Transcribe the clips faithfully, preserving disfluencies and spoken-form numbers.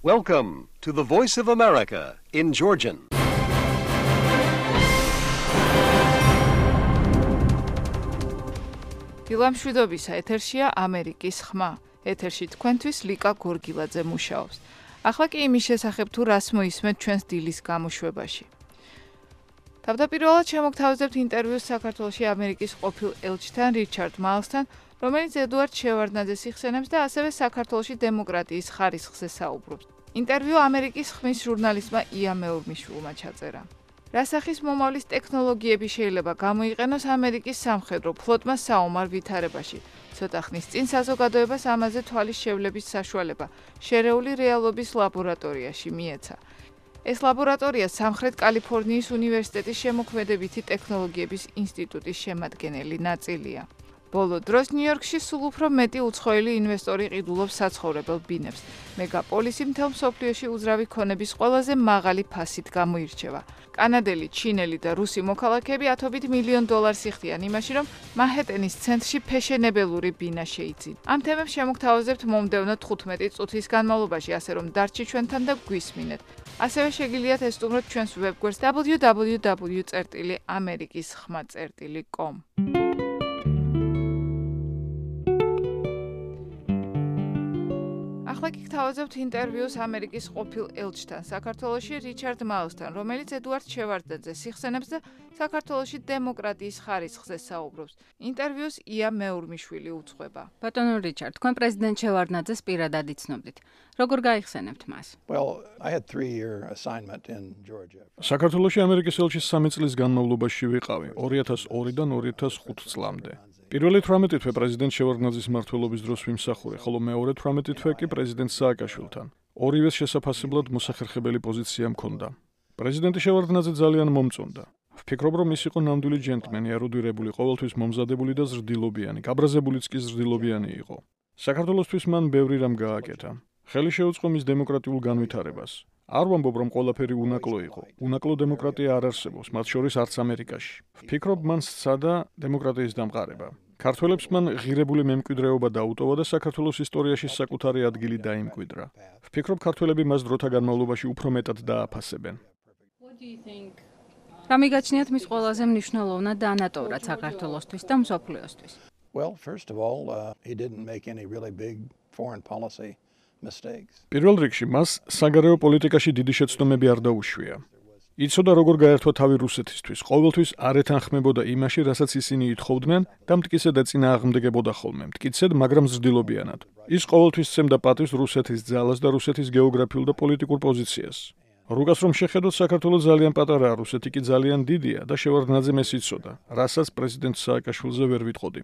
Welcome to the Voice of America in Georgian. დილამშვიდობისა, ეთერშია ამერიკის ხმა. ეთერში თქვენთვის ლიკა გორგილაძე მუშაობს. ახლა კი იმის შესახებ თუ რას მოისმენთ ჩვენს დილის გამოშვებაში. თავდაპირველად შემოგთავაზებთ ინტერვიუს საქართველოში ამერიკის ყოფილ ელჩთან რიჩარდ მაილსთან, რომელიც ედუარდ შევარდნაძეს იხსენებს და ასევე საქართველოში დემოკრატიის ხარისხზე საუბრობს. ინტერვიუ ამერიკის ხმის ჟურნალისტმა ია მეურმიშვილმა ჩაწერა. რასახის მომავლის ტექნოლოგიები შეიძლება გამოიყენოს ამერიკის სამხედრო ფლოტმა საომარ ვითარებაში. ცოტა ხნის წინ საზოგადოებას ამაზე თვალის შევლების საშუალება შერეული რეალობის ლაბორატორიაში მიეცა. ეს ლაბორატორია სამხრეთ კალიფორნიის უნივერსიტეტის შემოქმედებითი ტექნოლოგიების ინსტიტუტის შემადგენელი ნაწილია. ბოლო დროს ნიუ-იორკში სულ უფრო მეტი უცხოელი ინვესტორი ყიდულობს საცხოვრებელ ბინებს. მეგაპოლისი მთელ მსოფლიოში უძრავი ქონების ყველაზე მაღალი ფასით გამოირჩევა. კანადელი, ჩინელი და რუსი მოქალაქეები ათობით მილიონ დოლარს იხდიან იმაში, რომ მანჰეტენის ცენტრში ფეშენებელური ბინა შეიძინონ. ამ თემებს შემოგთავაზებთ მომდევნო თხუთმეტი წუთის განმავლობაში, ასე რომ დარჩი ჩვენთან და გვისმინეთ. ასევე შეგიძლიათ ესტუმროთ ჩვენს ვებგვერდს დაბლიუ დაბლიუ დაბლიუ წერტილი ამერიკის ხმა წერტილი კომ. ახლა კი გთავაზებთ ინტერვიუს ამერიკის ყოფილ ელჩთან საქართველოში რიჩარდ მაილსთან, რომელიც ედუარდ შევარდნაძეს იხსენებს და საქართველოში დემოკრატიის ხარისხზე საუბრობს. ინტერვიუს ია მეურმიშვილი უძღვება. ბატონო რიჩარდ, თქვენ პრეზიდენტ შევარდნაძეს პირადად იცნობდით. როგორ გაიხსენებთ მას? Well, I had three year assignment in Georgia. საქართველოში ამერიკის ელჩის სამი წლის განმავლობაში ვიყავი, ორი ათას ორიდან ორი ათას ხუთი წლამდე. პირველი თვრამეტი თვე პრეზიდენტ შევარდნაძის მმართველობის დროს ვიმსახურე, ხოლო მეორე თვრამეტი თვე კი პრეზიდენტ სააკაშვილთან. ორივეს შესაძლებელად მოსახერხებელი პოზიცია მქონდა. პრეზიდენტი შევარდნაძე ძალიან მომწონდა. ვფიქრობ, რომ ის იყო ნამდვილი ჯენტლმენი, ერუდირებული, ყოველთვის მომზადებული და ზრდილობიანი, გაბრაზებულიც კი ზრდილობიანი იყო. საქართველოსთვის მან ბევრი რამ გააკეთა. ხელი შეუწყო მის დემოკრატიულ განვითარებას. არ ვამბობ, რომ ყველაფერი უნაკლო იყო. უნაკლო დემოკრატია არ არსებობს, მათ შორის არც ამერიკაში. ვფიქრობ, მან სცადა დემოკრატიის დამყარება. ქართველებს მან ღირებული მემკვიდრეობა დაუტოვა და საქართველოს ისტორიაში საკუთარი ადგილი დაიმკვიდრა. ვფიქრობ, ქართველები მას დროთა განმავლობაში უფრო მეტად დააფასებენ. რა მიგაჩნიათ მის ყველაზე მნიშვნელოვნად ანატოვრად საქართველოსთვის და მსოფლიოსთვის? Well, first of all, uh, he didn't make any really big foreign policy mistakes. პირველ რიგში მას საგარეო პოლიტიკაში დიდი შეცდომები არ დაუშვია. იცოდა როგორ გაერთვა თავი რუსეთისთვის, ყოველთვის არ ეთანხმებოდა იმაში, რასაც ისინი ითხოვდნენ და მტკიცედ ეწინააღმდეგებოდა ხოლმე, მტკიცედ, მაგრამ ზრდილობიანად. ის ყოველთვის სცემდა პატივს რუსეთის ძალას და რუსეთის გეოგრაფიულ და პოლიტიკურ პოზიციას. რუგას რომ შეხედოთ, საქართველოს ძალიან პატარაა, რუსეთი კი ძალიან დიდია და შევარდნაძემ ეს იცოდა, რასაც პრეზიდენტ სააკაშვილზე ვერ ვიტყოდი.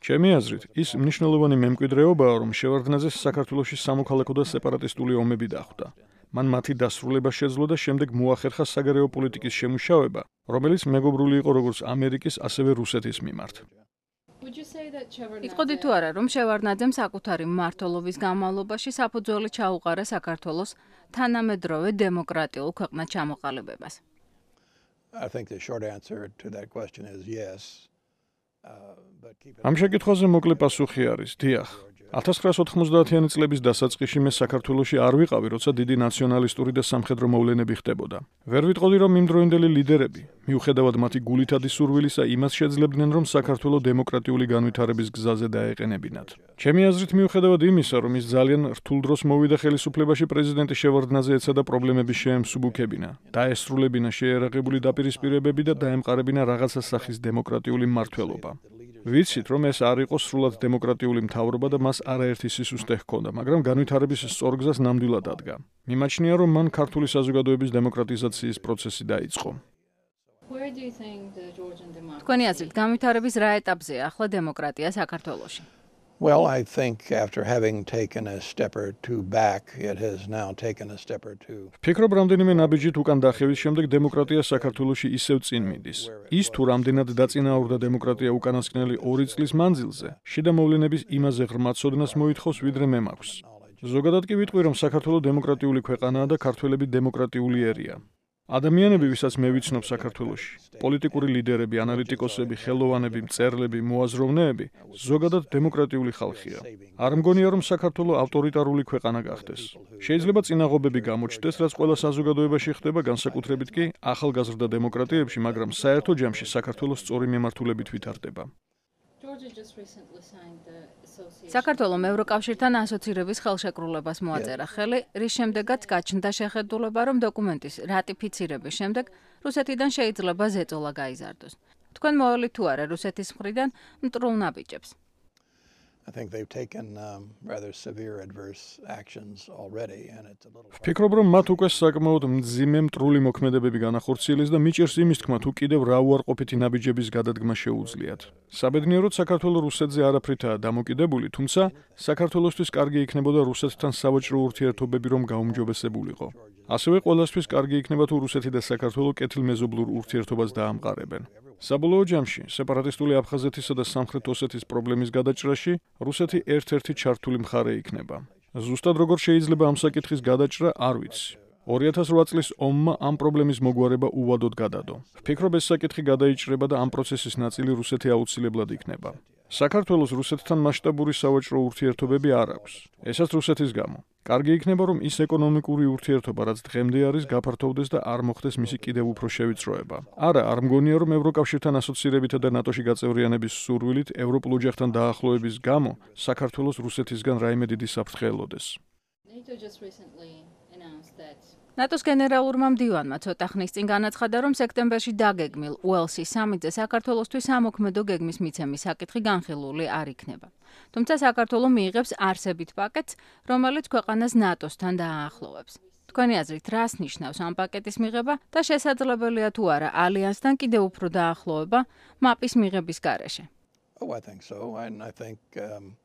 ჩემი აზრით, ის მნიშვნელოვანი მემკვიდრეობაა, რომ შევარდნაძეს საქართველოში სამოქალაქო და სეპარატისტული ომები დახვდა. მან მათი დასრულება შეძლო და შემდეგ მოახერხა საგარეო პოლიტიკის შემუშავება, რომელიც მეგობრული იყო როგორც ამერიკის, ასევე რუსეთის მიმართ. იტყოდი თუ არა, რომ შევარდნაძემ საკუთარი მმართველობის განმავლობაში საფუძველი ჩაუყარა საქართველოს თანამედროვე დემოკრატიულ ქვეყნად ჩამოყალიბებას? I think the short answer to that question is yes. ამ შეკითხვაზე მოკლე პასუხი არის, დიახ. ათას ცხრაას ოთხმოცდაათიანი წლების დასაწყისში მე საქართველოში არ ვიყავი, როცა დიდი ნაციონალისტური და სამხედრო მოვლენები ხდებოდა. ვერ ვიტყოდი, რომ იმდროინდელი ლიდერები, მიუხედავად მათი გულითადი სურვილისა, იმას შეძლებდნენ, რომ საქართველო დემოკრატიული განვითარების გზაზე დაეყენებინათ. ჩემი აზრით, მიუხედავად იმისა, რომ ის ძალიან რთულ დროს მოვიდა ხელისუფლებაში, პრეზიდენტი შევარდნაძე ეცადა პრობლემების შეემსუბუქებინა, დაესრულებინა შეერაღებული დაპირისპირებები და დაემყარებინა რაღაცა სახის დემოკრატიული მმართველობა. ვიცით, რომ ეს არ იყო სრულად დემოკრატიული მთავრობა და მას არაერთი სისუსტე ჰქონდა, მაგრამ განვითარების სწორგზას ნამდვილად ადგა. მიმაჩნია, რომ მან ქართული საზოგადოების დემოკრატიზაციის პროცესი დაიწყო. თქვენი აზრით, განვითარების რა ეტაპზეა ახლა დემოკრატია საქართველოში? Well, I think after having taken a step or two back, it has now taken a step or two. ვფიქრობ, რამდენიმე ნაბიჯით უკან დახევის შემდეგ დემოკრატია საქართველოში ისევ წინ მიდის. ის თუ რამდენად დაწინაურდა დემოკრატია უკანასკნელი ორი წლის მანძილზე, შიდა მოვლენების იმაზე ღრმა ცოდნას მოითხოვს, ვიდრე მე მაქვს. ზოგადად კი ვიტყვი, რომ საქართველო დემოკრატიული ქვეყანაა და ქართველები დემოკრატიული ერია. ადამიანები, ვისაც მე ვიცნობ საქართველოში, პოლიტიკური ლიდერები, ანალიტიკოსები, ხელოვანები, მწერლები, მოაზროვნეები, ზოგადად დემოკრატიული ხალხია. არ მგონია, რომ საქართველო ავტორიტარული ქვეყანა გახდეს. შეიძლება წინაღობები გამოჩნდეს, რაც ყველა საზოგადოებაში ხდება, განსაკუთრებით კი ახალგაზრდა დემოკრატიებში, მაგრამ საერთო ჯამში საქართველოს სწორი მიმართულებით ვითარდება. საქართველომ ევროკავშირთან ასოცირების ხელშეკრულებას მოაწერა ხელი, რის შემდეგაც გაჩნდა შეხედულება, რომ დოკუმენტის რატიფიცირების შემდეგ რუსეთიდან შეიძლება ზეწოლა გაიზარდოს. თქვენ მოვალით თუ არა რუსეთის მხრიდან მტრულ ნაბიჯებს? I think they've taken um, rather severe adverse actions already, and it's a little. ვფიქრობ, რომ მათ უკვე საკმაოდ მძიმე მტრული მოქმედებები განახორციელეს და მიჭირს იმის თქმა, თუ კიდევ რა უარყოფითი ნაბიჯების გადადგმა შეუძლიათ. საბედნიეროდ საქართველოს რუსეთზე არაფრითაა დამოკიდებული, თუმცა საქართველოსთვის კარგი იქნებოდა რუსეთთან სავაჭრო ურთიერთობები რომ გაუმჯობესებულიყო. ასევე ყველასთვის კარგი იქნება თუ რუსეთი და საქართველო კეთილმეზობლურ ურთიერთობას დაამყარებენ. საბოლოო ჯამში, სეპარატისტული აფხაზეთისა და სამხრეთ ოსეთის პრობლემის გადაჭრაში რუსეთი ერთ-ერთი ჩართული მხარე იქნება. ზუსტად როგორ შეიძლება ამ საკითხის გადაჭრა, არ ვიცი. ორი ათას რვა წლის ომმა ამ პრობლემის მოგვარება უვადოდ გადადო. ვფიქრობ, ეს საკითხი გადაიჭრება და ამ პროცესის ნაწილი რუსეთი აუცილებლად იქნება. საქართველოს რუსეთთან მასშტაბური სავაჭრო ურთიერთობები არ აქვს. ესაც რუსეთის გამო. კარგი იქნება, რომ ის ეკონომიკური ურთიერთობა, რაც დღემდე არის, გაფართოვდეს და არ მოხდეს მისი კიდევ უფრო შევიწროება. არა, არ მგონია, რომ ევროკავშირთან ასოცირებითა და ნატოში გაწევრიანების სურვილით ევროპულ ოჯახთან დაახლოების გამო საქართველოს რუსეთისგან რაიმე დიდი საფრთხე ელოდეს. ნატოს გენერალურმა მდივანმა ცოტა ხნის წინ განაცხადა, რომ სექტემბერში დაგეგმილ უელსის სამიტზე საქართველოსთვის ამოქმედო გეგმის მიცემის საკითხი განხილული არ იქნება. თუმცა საქართველო მიიღებს არსებით პაკეტს, რომელიც ქვეყანას ნატოსთან დააახლოვებს. თქვენი აზრით, რას ნიშნავს ამ პაკეტის მიღება და შესაძლებელია თუ არა ალიანსთან კიდევ უფრო დაახლოება მაპის მიღების გარეშე? Oh, I think so. And I think um,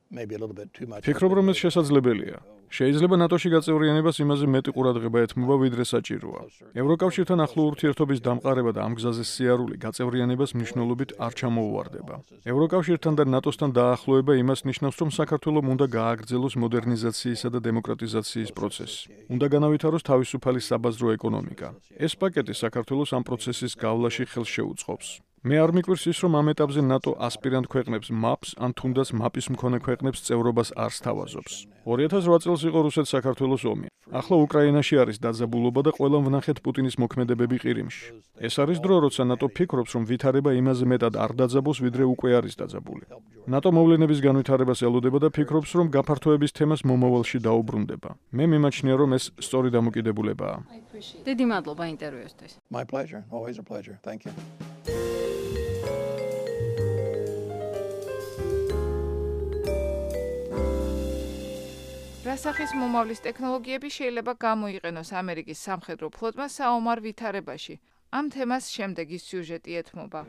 maybe a little bit too much. ვფიქრობ, რომ ეს შესაძლებელია. შეიძლება ნატოში გაწევრიანებას იმაზე მეტი ყურადღება ეთმობა, ვიდრე საჭიროა. ევროკავშირთან ახლო ურთიერთობის დამყარება და ამ გზაზე სიარული გაწევრიანებას მნიშვნელობით არ ჩამოუვარდება. ევროკავშირთან და ნატოსთან დაახლოება იმას ნიშნავს, რომ საქართველომ უნდა გააგრძელოს მოდერნიზაციისა და დემოკრატიზაციის პროცესი. უნდა განავითაროს თავისუფალი საბაზრო ეკონომიკა. ეს პაკეტი საქართველოს ამ პროცესის გავლაში ხელს შეუწყობს. მე არ მიკვირს ის, რომ ამ ეტაპზე ნატო ასპირანტ ქვეყნებს მაპს ან თუნდაც მაპის მქონე ქვეყნებს წევრობას არ სთავაზობს. ორი ათას რვა წელს იყო რუსეთ-საქართველოს ომი. ახლა უკრაინაში არის დაძაბულობა და ყველამ ვნახეთ პუტინის მოქმედებები ყირიმში. ეს არის დრო, როცა ნატო ფიქრობს, რომ ვითარება იმაზე მეტად არ დაძაბოს, ვიდრე უკვე არის დაძაბული. ნატო მოვლენების განვითარებას ელოდება და ფიქრობს, რომ გაფართოების თემას მომავალში დაუბრუნდება. მე მიმაჩნია, რომ ეს სწორი დამოკიდებულებაა. დიდი მადლობა ინტერვიუსთვის. My pleasure. Always a pleasure. Thank you. რასახის მომავლის ტექნოლოგიები შეიძლება გამოიყენოს ამერიკის სამხედრო ფლოტმა საომარ ვითარებაში? ამ თემას შემდეგი სიუჟეტი ეთმობა.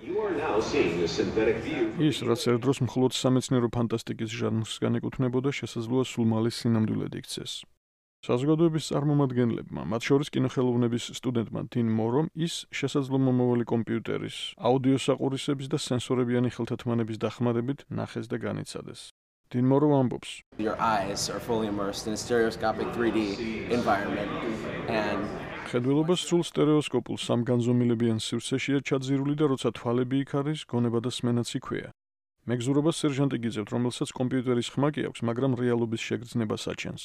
ის, რაც ერთ დროს მხოლოდ სამეცნიერო ფანტასტიკის ჟანრს განეკუთვნებოდა, შესაძლოა სულ მალე სინამდვილედ იქცეს. საზოგადოების წარმომადგენლებმა, მათ შორის კინოხელოვნების სტუდენტმა დინ მორომ, ის შესაძლო მომავალი კომპიუტერის, აუდიო საყურისების და სენსორებიანი ხელთათმანების დახმარებით ნახეს და განიცადეს. დინ მორო ამბობს. Your eyes are fully immersed in a stereoscopic three D environment and ხედველობა სრულ სტერეოსკოპულ სამგანზომილებიან სივრცეშია ჩაძირული და როცა თვალები იქ არის, გონება და სმენაც იქვეა. მეგზურობას სერჟანტი გიძებთ, რომელსაც კომპიუტერის ხმა კი აქვს, მაგრამ რეალობის შეგრძნება საჩენს.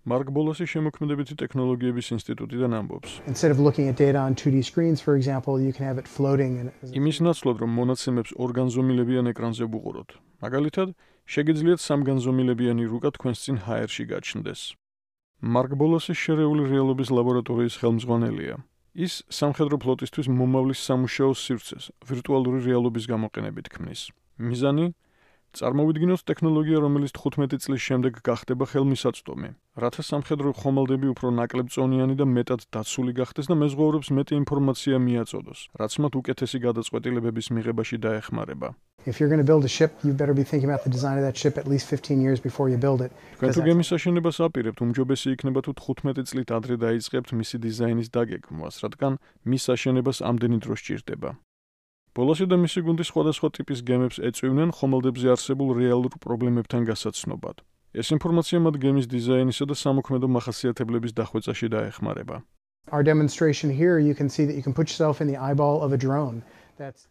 მარკ ბოლოსი შემოქმედებითი ტექნოლოგიების ინსტიტუტიდან ამბობს. Instead of looking at data on two D screens, for example, you can have it floating and იმის ნაცვლად, რომ მონაცემებს ორგანზომილებიან ეკრანზე ვუყუროთ. მაგალითად, შეგიძლიათ სამგანზომილებიანი რუკა თქვენს წინ ჰაერში გაჩნდეს. მარკ ბოლოსი შერეული რეალობის ლაბორატორიის ხელმძღვანელია. ის სამხედრო ფლოტისთვის მომავლის სამუშაო სივრცეს ვირტუალური რეალობის გამოყენებით ქმნის. მიზანი წარმოვიდგინოთ ტექნოლოგია, რომელიც თხუთმეტი წლის შემდეგ გახდება ხელმისაწვდომი, რათა სამხედრო ხომალდები უფრო ნაკლებწონიანი და მეტად დაცული გახდეს და მეზღვაურებს მეტი ინფორმაცია მიაწოდოს, რაც მათ უკეთესი გადაწყვეტილებების მიღებაში დაეხმარება. if you're going to build a ship, you better be thinking about the design of that ship at least fifteen years before you build it. თქვენ თუ გემის აშენებას აპირებთ, უმჯობესი იქნება თუ თხუთმეტი წლით ადრე დაიწყებთ მისი დიზაინის დაგეგმვას, რადგან მის აშენებას ამდენი დრო სჭირდება. ბოლოსი და მისი გუნდი სხვადასხვა ტიპის გემებს ეწვივნენ ხომალდებზე არსებულ რეალურ პრობლემებთან გასაცნობად. ეს ინფორმაცია მათ გემის დიზაინისა და სამოქმედო მახასიათებლების დახვეწაში დაეხმარება. Our demonstration here, you can see that you can put yourself in the eyeball of a drone.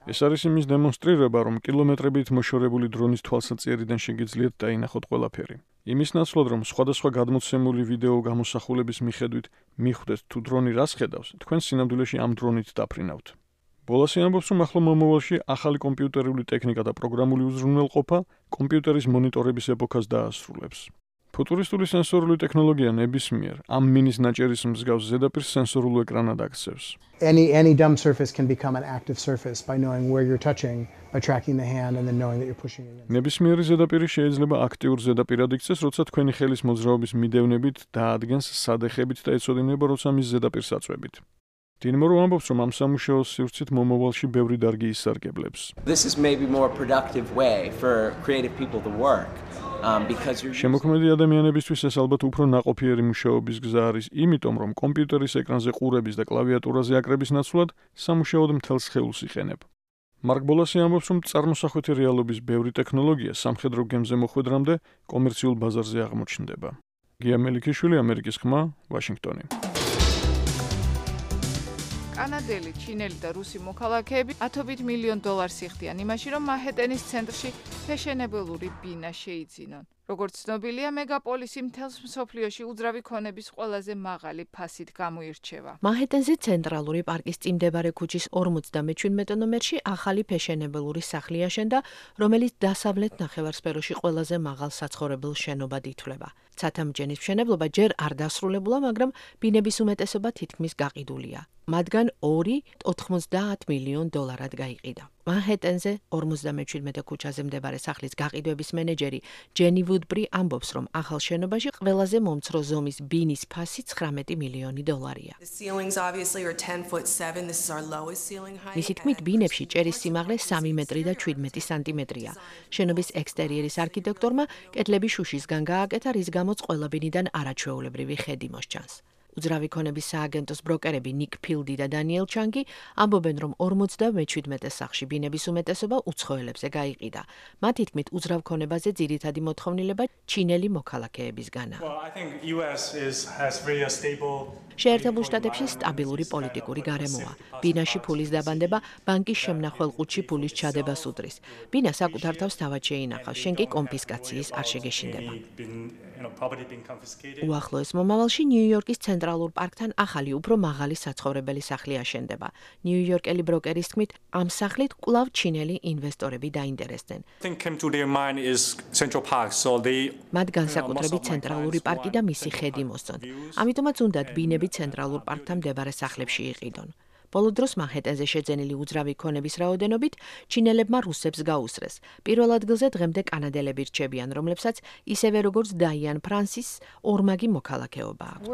ეს არის იმის დემონსტრირება, რომ კილომეტრებით მოშორებული დრონის თვალსაჩინარიდან შეგიძლიათ დაინახოთ ყველაფერი. იმის ნაცვლად, რომ სხვადასხვა გადმოცემული ვიდეო გამოსახულების მიხედვით მიხვდეთ თუ დრონი რას ხედავს, თქვენ სინამდვილეში ამ დრონით დაფრინავთ. ბოლასი ამბობს, რომ ახლა მომავალში ახალი კომპიუტერული ტექნიკა და პროგრამული უზრუნველყოფა კომპიუტერის მონიტორების ეპოქას დაასრულებს. ფუტურისტული სენსორული ტექნოლოგია ნებისმიერ ამ მინის ნაჭერის მსგავს ზედაპირს სენსორულ ეკრანად აქცევს. Any any dumb surface can become an active surface by knowing where you're touching, by tracking the hand and then knowing that you're pushing against. ნებისმიერი ზედაპირი შეიძლება აქტიურ ზედაპირად იქცეს, როცა თქვენი ხელის მოძრაობის მიდევნებით დაადგენს სადეხებით და ეცოდინება, როცა მის ზედაპირს აწვევით. დინმორო ამბობს, რომ ამ სამუშაოს სივრცით მომავალში ბევრი დარგი ისარგებლებს. This is maybe more productive way for creative people to work. Um, because you're შემოქმედი ადამიანებისთვის ეს ალბათ უფრო ნაყოფიერი მუშაობის გზა არის, იმიტომ რომ კომპიუტერის ეკრანზე ყურების და კლავიატურაზე აკრების ნაცვლად სამუშაოდ მთელ სხეულს იყენებ. მარკ ბოლასი ამბობს, რომ წარმოსახვეთი რეალობის ბევრი ტექნოლოგია სამხედრო გემზე მოხვედრამდე კომერციულ ბაზარზე აღმოჩნდება. გია მელიქიშვილი, ამერიკის ხმა, ვაშინგტონი. კანადელი, ჩინელი და რუსი მოქალაქეები ათობით მილიონ დოლარს იხდიან იმაში, რომ მანჰეტენის ცენტრში ფეშენებელური ბინა შეიძინონ. როგორც ცნობილია, მეგაპოლისი მთელს მსოფლიოში უძრავი ქონების ყველაზე მაღალი ფასით გამოირჩევა. მანჰეტენზე ცენტრალური პარკის წინ მდებარე ქუჩის ორმოცდამეჩვიდმეტე ნომერში ახალი ფეშენებელური სახლი აშენდა, რომელიც დასავლეთ ნახევარსფეროში ყველაზე მაღალ საცხოვრებელ შენობად ითვლება. ცათამბჯენის მშენებლობა ჯერ არ დასრულებულა, მაგრამ ბინების უმეტესობა თითქმის გაყიდულია. მათგან ორი ოთხმოცდაათ მილიონ დოლარად გაიყიდა. მანჰეტენზე ორმოცდამეჩვიდმეტე ქუჩაზე მდებარე სახლის გაყიდვების მენეჯერი ჯენი ვუდბრი ამბობს, რომ ახალ შენობაში ყველაზე მომცრო ზომის ბინის ფასი ცხრამეტი მილიონი დოლარია. მისი თქმით, ბინებში ჭერის სიმაღლე სამი მეტრი და შვიდმეტი სანტიმეტრია. შენობის ექსტერიერის არქიტექტორმა კედლები შუშისგან გააკეთა, რის გამოც ყველა ბინიდან არაჩვეულებრივი ხედი მოსჩანს. უძრავი ქონების სააგენტოს ბროკერები ნიკ ფილდი და დანიელ ჩანგი ამბობენ, რომ ორმოცდამეჩვიდმეტე სახლში ბინების უმეტესობა უცხოელებზე გაიყიდა. მათი თქმით, უძრავ ქონებაზე ძირითადი მოთხოვნილება ჩინელი მოქალაქეებისგანაა. შეერთებულ შტატებში სტაბილური პოლიტიკური გარემოა. ბინაში ფულის დაბანდება ბანკის შემნახველყუთში ფულის ჩადებას უდრის. ბინა საკუთარ თავს თავად შეინახავს, შენ კი კონფისკაციის არ შეგეშინდება. უახლოეს მომავალში ნიუ-იორკის ცენტრალურ პარკთან ახალი, უფრო მაღალი საცხოვრებელი სახლი აშენდება. ნიუ-იორკელი ბროკერის თქმით, ამ სახლით კვლავ ჩინელი ინვესტორები დაინტერესდნენ. მათ განსაკუთრებით ცენტრალური პარკი და მისი ხედი მოსწონთ. ამიტომაც უნდათ ბინები ცენტრალურ პარკთან მდებარე სახლებში იყიდონ. ბოლო დროს მანჰეტენზე შეძენილი უძრავი ქონების რაოდენობით ჩინელებმა რუსებს გაუსწრეს. პირველ ადგილზე დღემდე კანადელები რჩებიან, რომლებსაც ისევე როგორც დაიან ფრანსის ორმაგი მოქალაქეობა აქვს.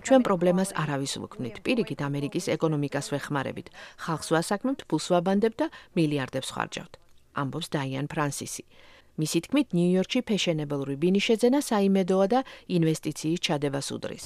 ჩვენ პრობლემას არავის ვუქმნით. პირიქით ამერიკის ეკონომიკას ვეხმარებით. ხალხს ვასაქმებთ, ფულს ვაბანდებთ და მილიარდებს ხარჯავთ. ამბობს დაიან ფრანსისი. მისი თქმით, ნიუ-იორკში ფეშენებელური ბინის შეძენა საიმედოა და ინვესტიციის ჩადებას უდრის.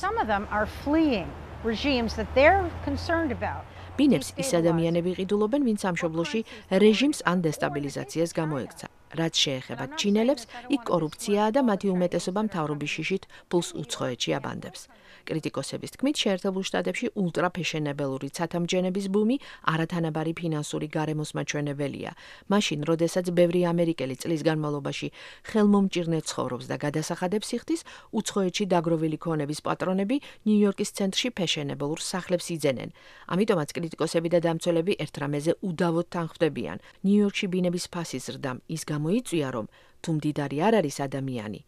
ბინებს ის ადამიანები ყიდულობენ, ვინც სამშობლოში რეჟიმს ან დესტაბილიზაციას გამოექცა. რაც შეეხება ჩინელებს, იქ კორუფციაა და მათი უმეტესობა მთავრობის შიშით ფულს უცხოეთში აბანდებს. კრიტიკოსების თქმით, შეერთებულ შტატებში ულტრაფეშენებელური ცათამბჯენების ბუმი არათანაბარი ფინანსური გარემოს მაჩვენებელია. მაშინ, როდესაც ბევრი ამერიკელი წლის განმავლობაში ხელმომჭირნე ცხოვრობს და გადასახადებს იხდის, უცხოეთში დაგროვილი ქონების პატრონები ნიუ-იორკის ცენტრში ფეშენებელურ სახლებს იძენენ. ამიტომაც კრიტიკოსები და დამცველები ერთ რამეზე უდავოდ თანხმდებიან. ნიუ-იორკში ბინების ფასის ზრდამ ის გამოიწვია, რომ თუ მდიდარი არ არის ადამიანი,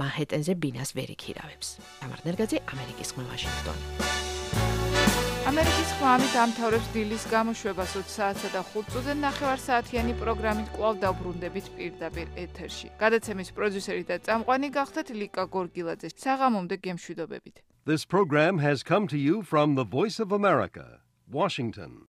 მანჰეტენზე ბინას ვერ იქირავებს. თამარ ნერგაძე, ამერიკის ხმა, ვაშინგტონი. ამერიკის ხმა ამით ამთავრებს დილის გამოშვებას ოც საათსა და ხუთ წუთზე ნახევარსაათიანი პროგრამით კვლავ დავბრუნდებით პირდაპირ ეთერში. გადაცემის პროდიუსერი და წამყვანი გახდათ ლიკა გორგილაძე. საღამომდე გემშვიდობებით. This program has come to you from the Voice of America, Washington.